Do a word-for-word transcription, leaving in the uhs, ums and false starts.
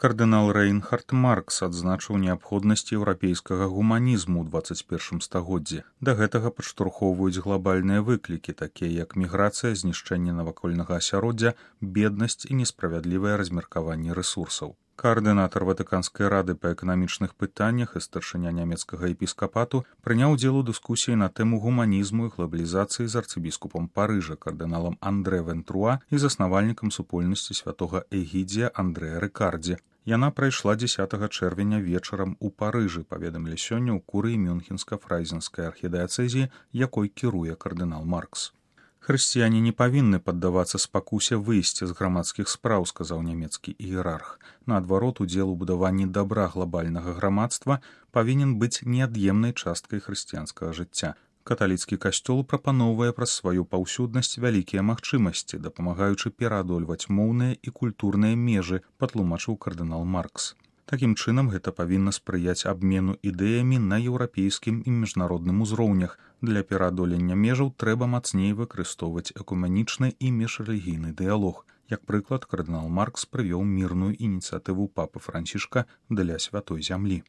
Кардынал Рэйнхард Маркс адзначыў неабходнасць еўрапейскага гуманізму ў дваццаць першым стагоддзі. Да гэтага падштурхоўваюць глобальныя выклікі, такія як міграцыя, знішчэнне навакольнага асяроддзя, беднасць і несправядлівае размеркаванне рэсурсаў. Каардынатар Ватыканскай рады па эканамічных пытаннях і старшыня нямецкага епіскапату прыняў удзел у дыскусіі на тэму гуманізму і глабалізацыі з арцыбіскупам Парыжа, кардыналам Андре Вентруа і заснавальнікам супольнасці святога Эгідзія Андрэа Рыкардзі. Яна прайшла дзесятага чэрвеня вечарам у Парыжы, паведамілі сёння ў курыі Мюнхенска-фрайзенскай архідыяцэзіі, якой кіруе кардынал Маркс. Хрысціяне не павінны паддавацца спакусе выйсці з грамадскіх спраў, сказаў нямецкі іерарх. Наадварот, удзел у будаванні дабра глобальнага грамадства павінен быць неад'емнай часткай хрысціянскага жыцця. Каталіцкі касцёл прапаноўвае праз сваю паўсюднасць вялікія магчымасці, дапамагаючы пераадольваць моўныя і культурныя межы, патлумачыў кардынал Маркс. Такім чынам, гэта павінна спрыяць абмену ідэямі на еўрапейскім і міжнародным узроўнях. Для пераадолення межаў трэба мацней выкарыстоўваць экуменічны і міжрэлігійны дыялог. Як прыклад, кардынал Маркс прывёў мірную ініцыятыву папы Францішка для святой зямлі.